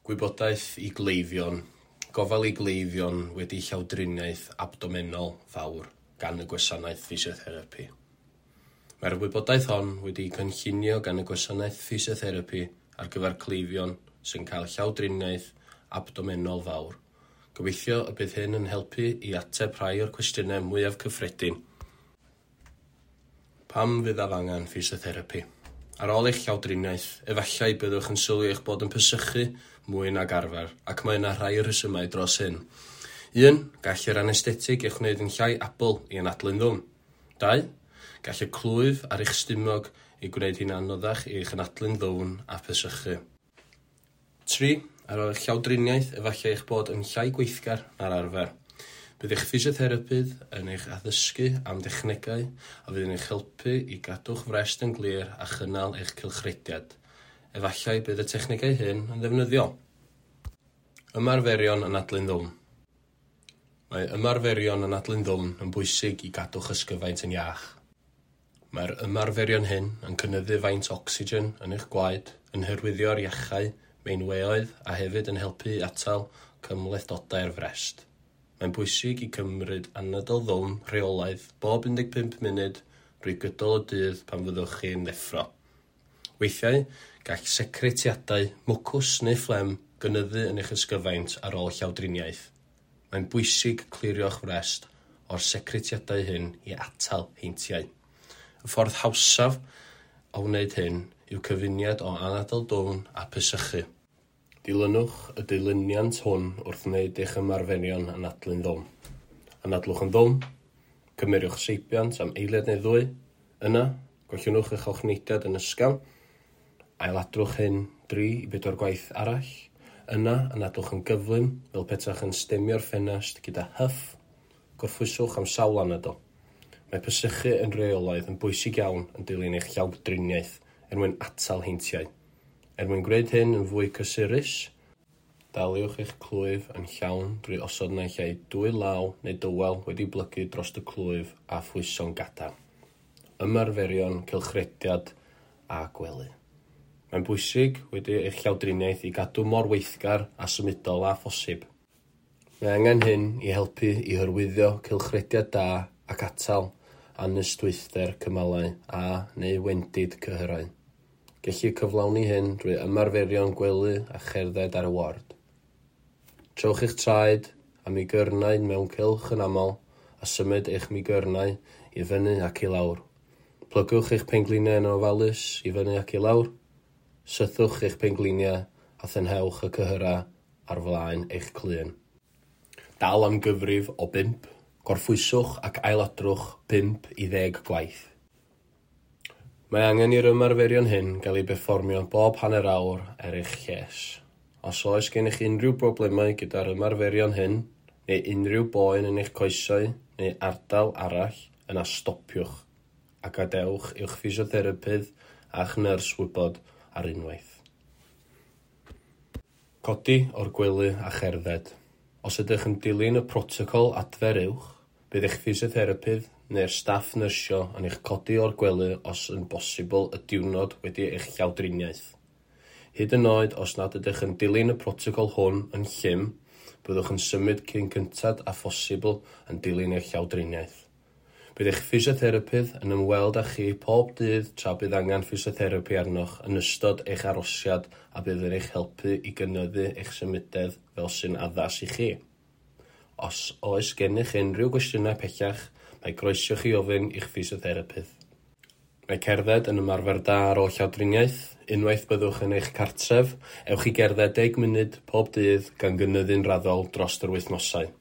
Gwybodaeth i gleifion, gofal i gleifion wedi llawdriniaeth abdomenol fawr gan y gwasanaeth ffisiotherapi. Mae'r wybodaeth hon wedi'i cynllunio gan y gwasanaeth ffisiotherapi ar gyfer cleifion sy'n cael llawdriniaeth abdomenol fawr. Gobeithio y bydd hyn yn helpu i ateb rhai o'r cwestiynau mwyaf cyffredin. Pam fyddaf angen ffisiotherapi? Ar ôl eich llawdriniaeth, efallai byddwch yn sylwi eich bod yn pesychu mwy nag arfer, ac mae yna rhai rhesymau dros hyn. 1. Gall yr anesthetig eich gwneud yn llai abl i anadlu'n ddwfn. 2. Gall y clwyf ar eich stumog ei gwneud hi'n anoddach i eich anadlu'n ddwfn a phesychu. 3. Ar ôl eich llawdriniaeth, efallai eich bod yn llai gweithgar na'r arfer. Bydd eich ffisiotherapydd yn eich addysgu am dechnegau a fydd yn eich helpu i gadw'ch frest yn glir a chynnal eich cylchrediad. Efallai bydd y technegau hyn yn ddefnyddiol. Ymarferion anadlu'n ddwfn. Mae ymarferion anadlu'n ddwfn yn bwysig i gadw'ch ysgyfaint yn iach. Mae'r ymarferion hyn yn cynyddu faint ocsigen yn eich gwaed, yn hyrwyddo'r iachau meinweoedd a hefyd yn helpu i atal cymhlethdodau'r frest. Mae'n bwysig i cymryd anadl ddwfn rheolaidd bob 15 munud drwy gydol y dydd pan fyddwch chi'n ddeffro. Weithiau, gall secretiadau, mwcws neu fflem gynyddu yn eich ysgyfaint ar ôl llawdriniaeth. Mae'n bwysig clirio'ch frest o'r secretiadau hyn i atal heintiau. Y ffordd hawsaf o wneud hyn yw cyfuniad o anadl dwfn a pesychu. Dilynwch y dilyniant hwn wrth wneud eich ymarferion anadlu'n ddwfn. Anadlwch yn ddwfn, cymerwch seibiant am eiliad neu ddwy, yna gollwngwch eich ochneidiad yn ysgafn, ailadrwch hyn 3 i 4 gwaith arall, yna anadlwch yn gyflym fel petaech yn stemio'r ffenest gyda hyff, gorffwyswch am sawl anadl. Mae pesychu yn rheolaidd yn bwysig iawn yn dilyn eich llawdriniaeth er mwyn atal heintiau. Er mwyn gwneud hyn yn fwy cysurus, daliwch eich clwyf yn llawn drwy osod naill ai dwy law neu dywel wedi blygu dros y clwyf a phwyso'n gadarn. Ymarferion, cylchrediad a gwely. Mae'n bwysig wedi eich llawdriniaeth i gadw mor weithgar a symudol â phosib. Mae angen hyn i helpu i hyrwyddo cylchrediad da ac atal anystwythder cymalau a neu wendid cyhyrau. Gellir cyflawni hyn drwy ymarferion gwely a cherdded ar y ward. Trowch eich traed a migyrnau mewn cylch yn aml a symud eich migyrnau i fyny ac i lawr. Plygwch eich pengliniau yn ofalus i fyny ac i lawr. Sythwch eich pengliniau a thynhewch y cyhyrau ar flaen eich clun. Dal am gyfrif o 5, gorffwyswch ac ailadrwch 5 i 10 gwaith. Mae angen i'r ymarferion hyn gael eu perfformio bob hanner awr er eich lles. Os oes gennych unrhyw broblemau gyda'r ymarferion hyn, neu unrhyw boen yn eich coesau neu ardal arall, yna stopiwch a gadewch i'ch ffisiotherapydd a'ch nyrs wybod ar unwaith. Codi o'r gwely a cherdded. Os ydych yn dilyn y protocol adfer uwch, bydd eich ffisiotherapydd neu'r staff nyrsio yn eich codi o'r gwely os yn bosibl y diwrnod wedi eich llawdriniaeth. Hyd yn oed os nad ydych yn dilyn y protocol hwn yn llym, byddwch yn symud cyn gynted â phosibl yn dilyn eich llawdriniaeth. Bydd eich ffisiotherapydd yn ymweld â chi pob dydd tra bydd angen ffisiotherapi arnoch yn ystod eich arosiad a bydd yn eich helpu i gynyddu eich symudedd fel sy'n addas i chi. Os oes gennych unrhyw gwestiynau pellach, mae croeso chi ofyn i'ch ffisiotherapydd. Mae cerdded yn ymarfer da ar ôl llawdriniaeth. Unwaith byddwch yn eich cartref, ewch i gerdded 10 munud pob dydd gan gynyddu'n raddol dros yr wythnosau.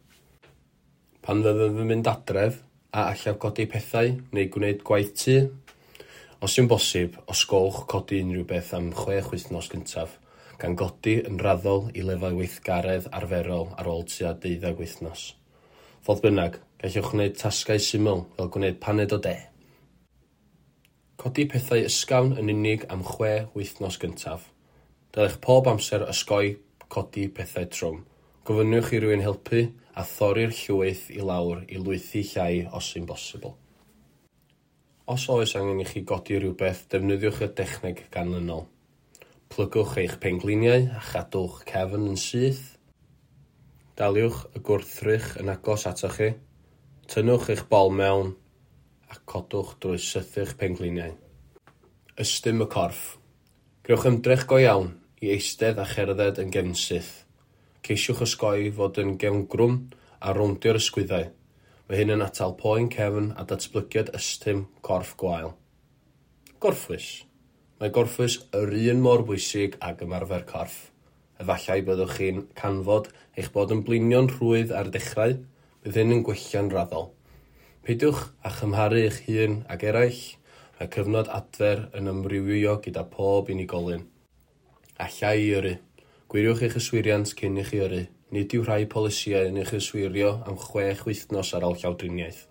Pan fyddaf yn mynd adref, a allaf godi pethau neu gwneud gwaith tŷ? Os yw'n bosib, osgowch codi unrhyw beth am 6 wythnos gyntaf, gan godi yn raddol i lefel weithgaredd arferol ar ôl tua 12 wythnos. Fodd bynnag, gallwch wneud tasgau syml fel gwneud paned o de. Codi pethau ysgafn yn unig am 6 wythnos gyntaf. Dylech pob amser osgoi codi pethau trwm. Gofynnwch i rywun helpu a thorri'r llwyth i lawr i lwythi llai os yw'n bosibl. Os oes angen i chi godi rhywbeth, defnyddiwch y dechneg ganlynol. Plygwch eich pengliniau a chadwch cefn yn syth. Daliwch y gwrthrych yn agos atoch chi. Tynnwch eich bol mewn a codwch drwy sythu'ch pengliniau. Ystum y corff. Gwnewch ymdrech go iawn i eistedd a cherdded yn gefnsyth. Ceisiwch osgoi fod yn gefngrwm a rowndio'r ysgwyddau. Mae hyn yn atal poen cefn a datblygiad ystum corff gwael. Gorffwys. Mae gorffwys yr un mor bwysig ag ymarfer corff. Efallai byddwch chi'n canfod eich bod yn blinio'n rhwydd ar y dechrau, bydd hyn yn gwella'n raddol. Peidiwch â chymharu eich hun ag eraill, mae cyfnod adfer yn amrywio gyda phob unigolyn. Alla i yrru. Gwiriwch eich yswiriant cyn i chi yrru. Nid yw rhai polisïau yn eich yswirio am 6 wythnos ar ôl llawdriniaeth.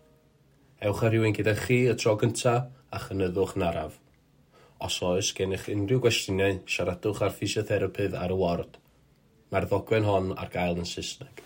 Ewch â rhywun gyda chi y tro gyntaf a chynyddwch yn araf. Os oes gennych unrhyw gwestiynau, siaradwch â'r ffisiotherapydd ar y ward. Mae'r ddogfen hon ar gael yn Saesneg.